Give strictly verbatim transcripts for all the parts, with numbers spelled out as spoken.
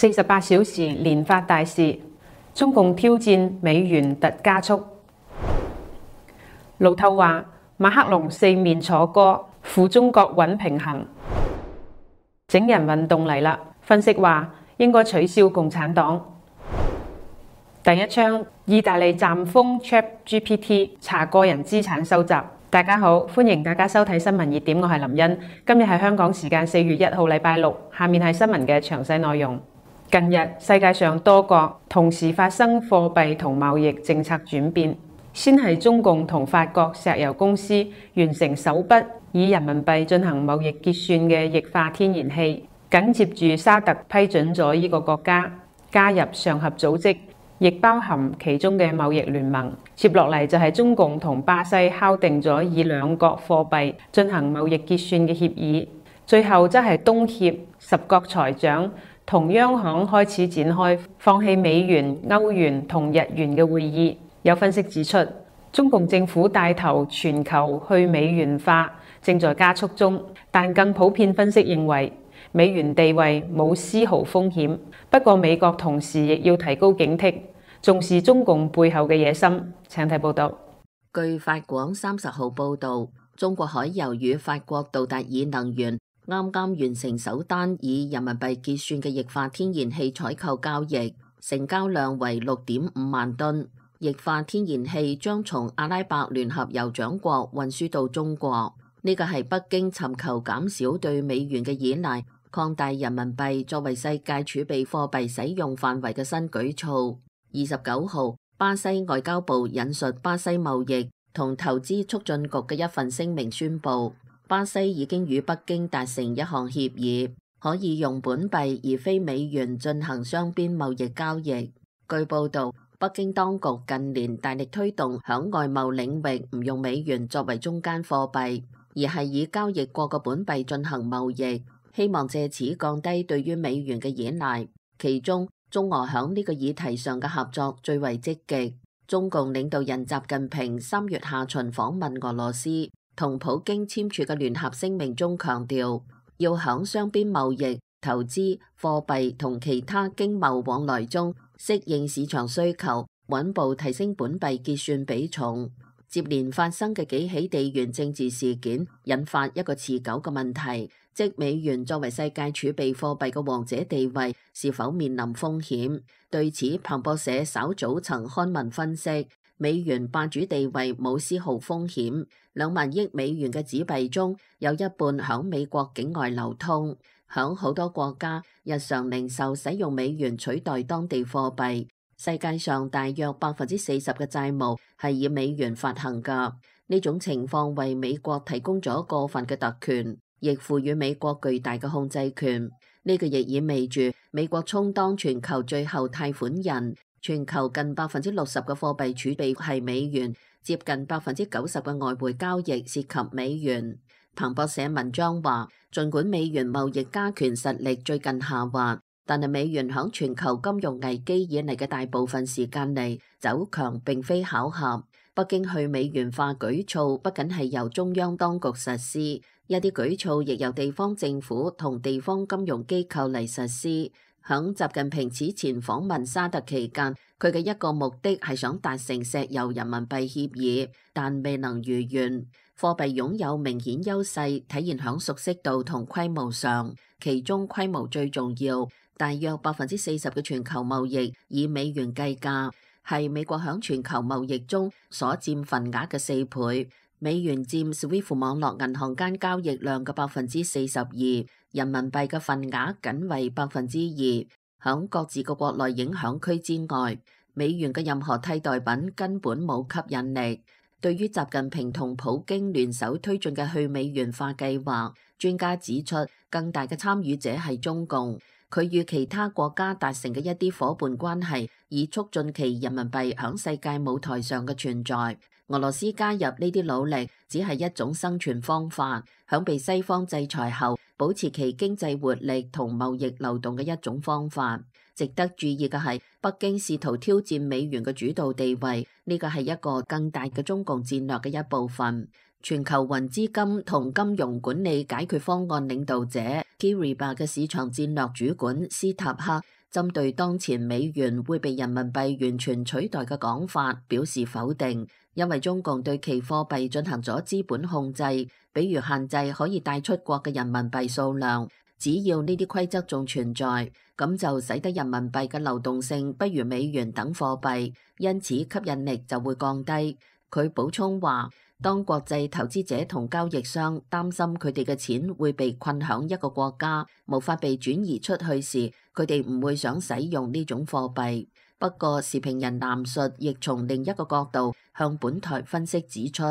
四十八小時連發大事，中共挑戰美元突加速。路透話，馬克龍四面楚歌，扶中國穩平衡。整人運動嚟啦，分析話應該取消共產黨。第一槍，意大利暫封 ChatGPT 查個人資產收集。大家好，歡迎大家收睇新聞熱點，我係林茵。今日係香港時間四月一號禮拜六，下面係新聞嘅詳細內容。近日世界上多國同時發生貨幣同貿易政策轉變，先係中共同法國石油公司完成首筆以人民幣進行貿易結算嘅液化天然氣，緊接住沙特批准咗呢個國家加入上合組織，亦包含其中嘅貿易聯盟。接落嚟就係中共同巴西敲定咗以兩國貨幣進行貿易結算嘅協議，最後則係東協十國財長同央行開始展開放棄美元、歐元同日元嘅會議。有分析指出，中共政府帶頭全球去美元化正在加速中，但更普遍分析認為美元地位冇絲毫風險。不過美國同時亦要提高警惕，重視中共背後嘅野心。請睇報道。據法廣三十號報導，中國海油與法國杜達爾能源啱啱完成首單以人民幣結算嘅液化天然氣採購交易，成交量為六點五萬噸。液化天然氣將從阿拉伯聯合酋長國運輸到中國，呢個係北京尋求減少對美元嘅依賴，擴大人民幣作為世界儲備貨幣使用範圍嘅新舉措。二十九號，巴西外交部引述巴西貿易同投資促進局嘅一份聲明宣布，巴西已經與北京達成一項協議，可以用本幣而非美元進行雙邊貿易交易。據報導，北京當局近年大力推動響外貿領域唔用美元作為中間貨幣，而係以交易國嘅本幣進行貿易，希望借此降低對於美元嘅依賴。其中，中俄響呢個議題上嘅合作最為積極。中共領導人習近平三月下旬訪問俄羅斯，同普京簽署嘅聯合聲明中強調，要響雙邊貿易、投資、貨幣同其他經貿往來中適應市場需求，穩步提升本幣結算比重。接連發生嘅幾起地緣政治事件，引發一個持久嘅問題，即美元作為世界儲備貨幣嘅王者地位是否面臨風險。對此，彭博社稍早曾刊文分析，美元霸主地位冇絲毫風險。兩萬億美元嘅紙幣中有一半響美國境外流通，響好多國家日常零售使用美元取代當地貨幣。世界上大約百分之四十嘅債務係以美元發行㗎，呢種情況為美國提供咗過分嘅特權，亦賦予美國巨大嘅控制權。呢個亦意味住美國充當全球最後貸款人，全球近百分之六十嘅貨幣儲備係美元，接近百分之九十嘅外匯交易涉及美元。彭博社文章話，儘管美元貿易加權實力最近下滑，但係美元響全球金融危機以嚟嘅大部分時間嚟走強並非巧合。北京去美元化舉措不僅係由中央當局實施，一啲舉措亦由地方政府同地方金融機構嚟實施。響習近平此前訪問沙特期間，佢嘅一個目的係想達成石油人民幣協議，但未能如願。貨幣擁有明顯優勢，體現響熟悉度同規模上，其中規模最重要。大約百分之四十嘅全球貿易以美元計價，係美國響全球貿易中所佔份額嘅四倍。美元佔 SWIFT 網絡銀行間交易量嘅百分之四十二，人民幣嘅份額僅為百分之二。響各自嘅國內影響區之外，美元嘅任何替代品根本冇吸引力。對於習近平同普京聯手推進嘅去美元化計劃，專家指出，更大嘅參與者係中共。佢與其他國家達成嘅一啲夥伴關係，以促進其人民幣響世界舞台上嘅存在。俄羅斯加入呢啲努力，只係一種生存方法，響被西方制裁後，保持其經濟活力同貿易流動嘅一種方法。值得注意嘅係，北京試圖挑戰美元嘅主導地位，呢個係一個更大嘅中共戰略嘅一部分。全球雲資金同金融管理解決方案領導者 Kiriba 嘅市場戰略主管斯塔克針對當前美元會被人民幣完全取代嘅講法表示否定，因為中共對其貨幣進行咗資本控制，比如限制可以帶出國嘅人民幣數量。只要呢啲規則仲存在，咁就使得人民幣嘅流動性不如美元等貨幣，因此吸引力就會降低。佢補充話，當國際投資者同交易商擔心佢哋嘅錢會被困響一個國家，無法被轉移出去時，佢哋唔會想使用呢種貨幣。不過，時評人藍述亦從另一個角度向本台分析指出，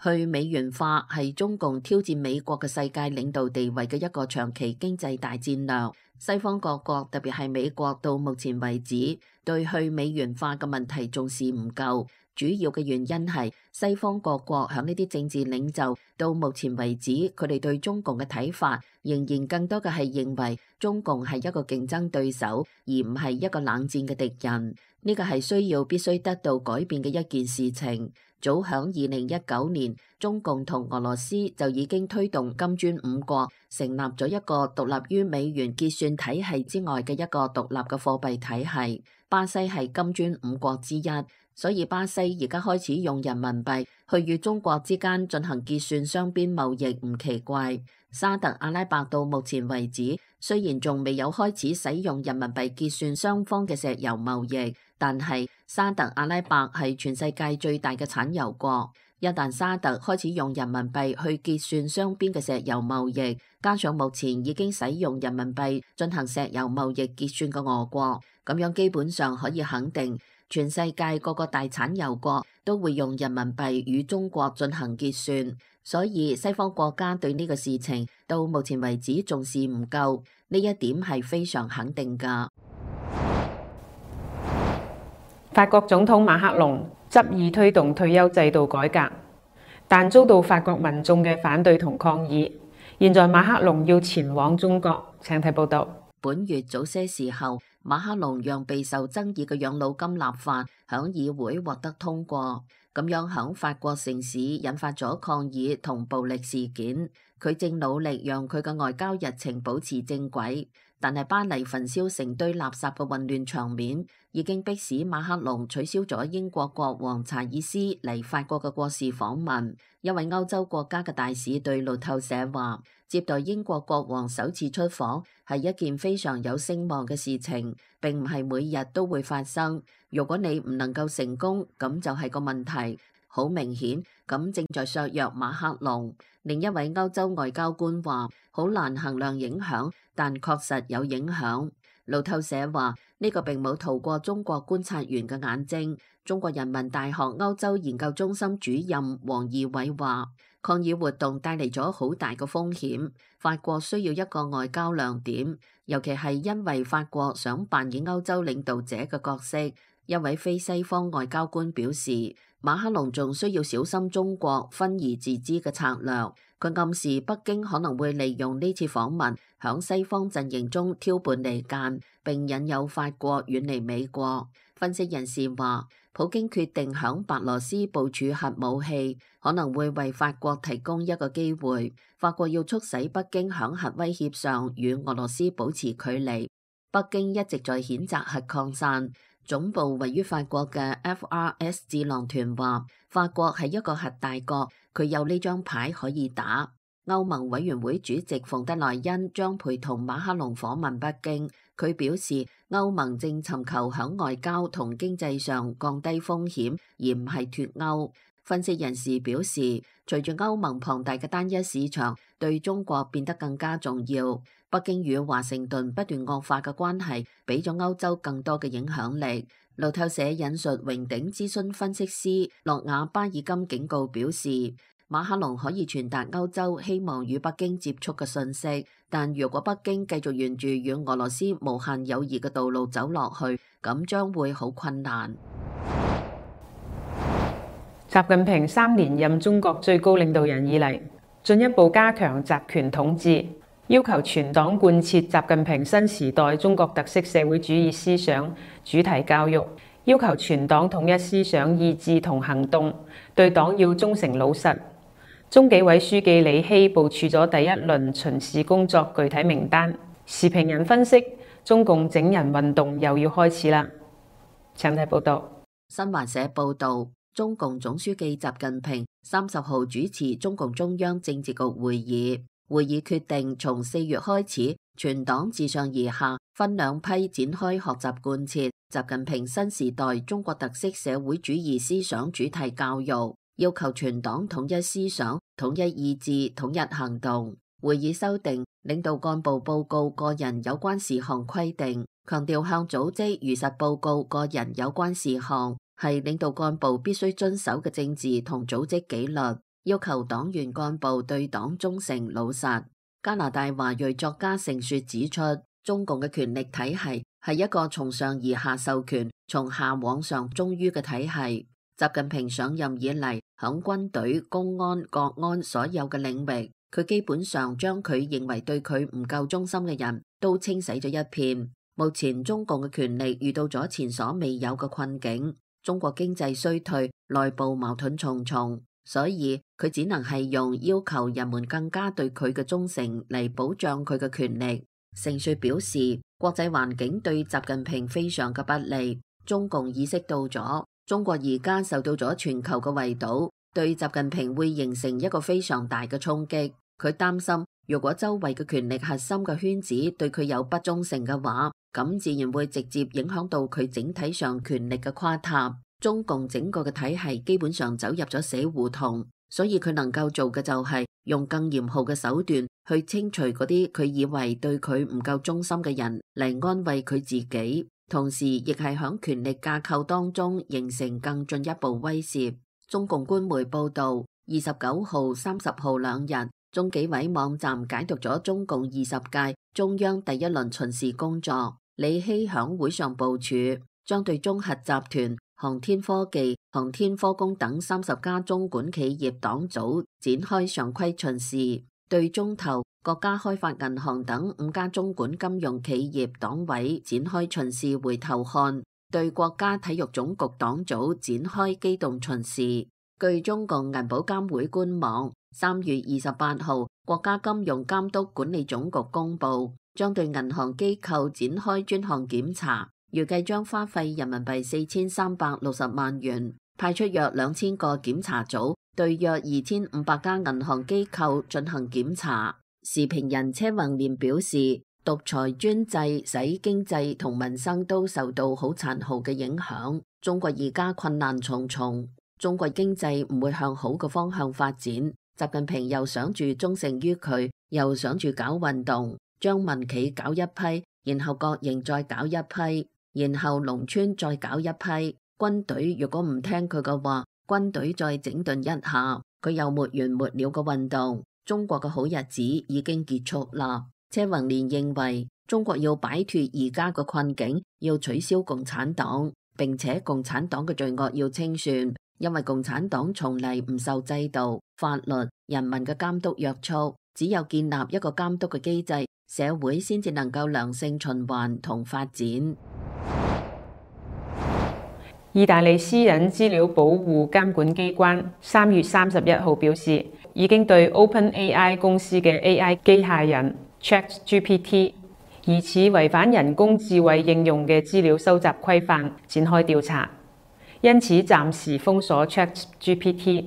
去美元化係中共挑戰美國嘅世界領導地位嘅一個長期經濟大戰略。西方各國，特別係美國，到目前為止對去美元化嘅問題重視唔夠。主要嘅原因係西方各國響呢啲政治領袖到目前為止，佢哋對中共嘅睇法仍然更多嘅係認為中共係一個競爭對手，而唔係一個冷戰嘅敵人。呢個係需要必須得到改變嘅一件事情。早響二零一九年，中共同俄羅斯就已經推動金磚五國成立咗一個獨立於美元結算體系之外嘅一個獨立嘅貨幣體系。巴西係金磚五國之一。所以巴西而家開始用人民幣去與中國之間進行結算雙邊貿易唔奇怪。沙特阿拉伯到目前為止雖然仲未有開始使用人民幣結算雙方嘅石油貿易，但係沙特阿拉伯係全世界最大嘅產油國。一旦沙特開始用人民幣去結算雙邊嘅石油貿易，加上目前已經使用人民幣進行石油貿易結算嘅俄國，咁樣基本上可以肯定，全世界各個大產油國都會用人民幣與中國進行結算，所以西方國家對呢個事情到目前為止重視唔夠，呢一點係非常肯定㗎。法國總統馬克龍執意推動退休制度改革，但遭到法國民眾嘅反對同抗議。現在馬克龍要前往中國，請睇報道。本月早些時候，馬克龍讓備受爭議嘅養老金立法響議會獲得通過，咁樣響法國城市引發咗抗議同暴力事件。佢正努力讓佢嘅外交日程保持正軌，但係巴黎焚燒成堆垃圾嘅混亂場面已經迫使馬克龍取消咗英國國王查爾斯嚟法國嘅國事訪問。一位歐洲國家嘅大使對路透社話，接待英國國王首次出訪係一件非常有聲望嘅事情，並唔係每日都會發生。如果你唔能夠成功，咁就係個問題。好明顯，咁正在削弱馬克龍。另一位歐洲外交官話，好難衡量影響，但確實有影響。路透社話，呢個並冇逃過中國觀察員嘅眼睛。中國人民大學歐洲研究中心主任王義偉話，抗議活動帶嚟咗好大嘅風險，法國需要一個外交亮點，尤其係因為法國想扮演歐洲領導者嘅角色。一位非西方外交官表示，馬克龍仲需要小心中國分而治之嘅策略。佢暗示北京可能會利用呢次訪問響西方陣營中挑撥離間，並引誘法國遠離美國。分析人士話，普京決定響白羅斯部署核武器，可能會為法國提供一個機會。法國要促使北京響核威脅上與俄羅斯保持距離。北京一直在譴責核擴散。總部位於法國嘅 F R S 智囊團話，法國係一個核大國，佢有呢張牌可以打。歐盟委員會主席馮德萊恩將陪同馬克龍訪問北京。佢表示，歐盟正尋求響外交同經濟上降低風險，而唔係脫歐。分析人士表示，隨住歐盟龐大嘅單一市場對中國變得更加重要，北京與華盛頓不斷惡化嘅關係，俾咗歐洲更多嘅影響力。路透社引述榮鼎諮詢分析師諾亞巴爾金警告表示，馬克龍可以傳達歐洲希望與北京接觸嘅信息，但如果北京繼續沿住與俄羅斯無限友誼嘅道路走落去，咁將會好困難。習近平三連任中國最高領導人以嚟，進一步加強集權統治，要求全黨貫徹習近平新時代中國特色社會主義思想主題教育，要求全黨統一思想意志同行動，對黨要忠誠老實。中紀委書記李希部署咗第一輪巡視工作具體名單。時評人分析，中共整人運動又要開始啦。請睇報道。新華社報道，中共總書記習近平三十號主持中共中央政治局會議，會議決定從四月開始，全黨自上而下分兩批展開學習貫徹習近平新時代中國特色社會主義思想主題教育，要求全黨統一思想、統一意志、統一行動。會議修訂領導幹部報告個人有關事項規定，強調向組織如實報告個人有關事項係領導幹部必須遵守嘅政治同組織紀律，要求黨員幹部對黨忠誠老實。加拿大華裔作家盛雪指出，中共嘅權力體系係一個從上而下授權、從下往上忠於嘅體系。習近平上任以嚟，響軍隊、公安、國安所有嘅領域，佢基本上將佢認為對佢唔夠忠心嘅人都清洗咗一遍。目前中共嘅權力遇到咗前所未有嘅困境，中國經濟衰退，內部矛盾重重。所以佢只能係用要求人們更加對佢嘅忠誠嚟保障佢嘅權力。盛雪表示，國際環境對習近平非常嘅不利，中共意識到咗中國而家受到咗全球嘅圍堵，對習近平會形成一個非常大嘅衝擊。佢擔心，如果周圍嘅權力核心嘅圈子對佢有不忠誠嘅話，咁自然會直接影響到佢整體上權力嘅垮塌。中共整個嘅體系基本上走入咗死胡同，所以佢能夠做嘅就係用更嚴酷嘅手段去清除嗰啲佢以為對佢唔夠忠心嘅人嚟安慰佢自己，同時亦係響權力架構當中形成更進一步威懾。中共官媒報道，二十九號、三十號兩日，中紀委網站解讀咗中共二十屆中央第一輪巡視工作。李希響會上部署，將對中核集團、航天科技、航天科工等三十家中管企業黨組展開常規巡視，對中投、國家開發銀行等五家中管金融企業黨委展開巡視回頭看，對國家體育總局黨組展開機動巡視。據中共銀保監會官網，三月二十八號，國家金融監督管理總局公布，將對銀行機構展開專項檢查，預計將花費人民幣四千三百六十萬元，派出約兩千個檢查組，對約二千五百家銀行機構進行檢查。時評人車宏年表示，獨裁專制使經濟同民生都受到好殘酷嘅影響，中國而家困難重重，中國經濟唔會向好嘅方向發展。習近平又想住忠誠於佢，又想住搞運動，將民企搞一批，然後國營再搞一批，然後農村再搞一批，軍隊如果唔聽佢嘅話，軍隊再整頓一下，佢又沒完沒了嘅運動，中國嘅好日子已經結束啦。車宏年認為，中國要擺脫而家嘅困境，要取消共產黨，並且共產黨嘅罪惡要清算，因為共產黨從嚟唔受制度、法律、人民嘅監督約束，只有建立一個監督嘅機制，社會先至能夠良性循環同發展。意大利私隱資料保護監管機關三月三十一號表示，已經對 OpenAI 公司嘅 A I 機械人 ChatGPT 疑似違反人工智慧應用嘅資料收集規範展開調查，因此暫時封鎖 ChatGPT。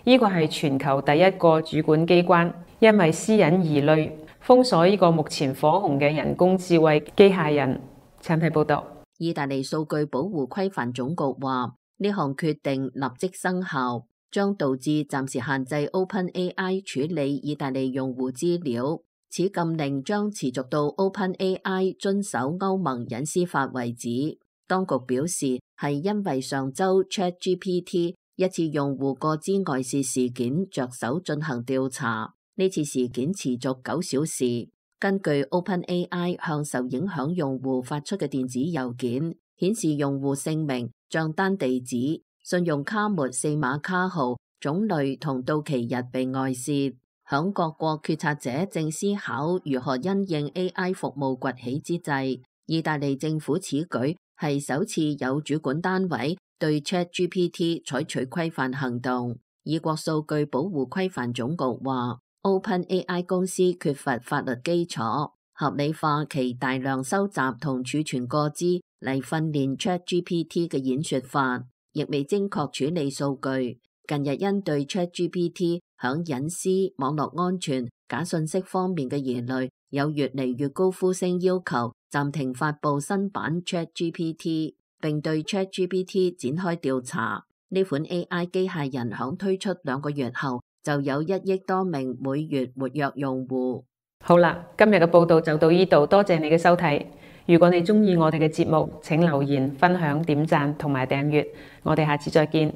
呢個係全球第一個主管機關因為私隱疑慮封鎖呢個目前火紅嘅人工智慧機械人。請睇報道。意大利數據保護規範總局話，呢項決定立即生效，將導致暫時限制 OpenAI 處理意大利用戶資料。此禁令將持續到 OpenAI 遵守歐盟隱私法為止。當局表示，係因為上周 ChatGPT 一次用戶個資外泄事件着手進行調查，呢次事件持續九小時。根據 OpenAI 向受影響用戶發出嘅電子郵件，顯示用戶姓名、賬單地址、信用卡末四碼卡號、種類同到期日被外泄。響各國決策者正思考如何因應 A I 服務崛起之際，意大利政府此舉係首次有主管單位對 ChatGPT 採取規範行動。意國數據保護規範總局話，OpenAI 公司缺乏法律基礎，合理化其大量收集同儲存個資嚟訓練 ChatGPT 嘅演說法，亦未精確處理數據。近日因對 ChatGPT 響隱私、網絡安全、假信息方面嘅疑慮，有越嚟越高呼聲要求暫停發佈新版 ChatGPT， 並對 ChatGPT 展開調查。呢款 A I 機械人響推出兩個月後，就有一億多名每月活躍用戶。好啦，今日嘅報道就到呢度，多謝你嘅收睇。如果你鍾意我哋嘅節目，請留言、分享、點讚同埋訂閱。我哋下次再見。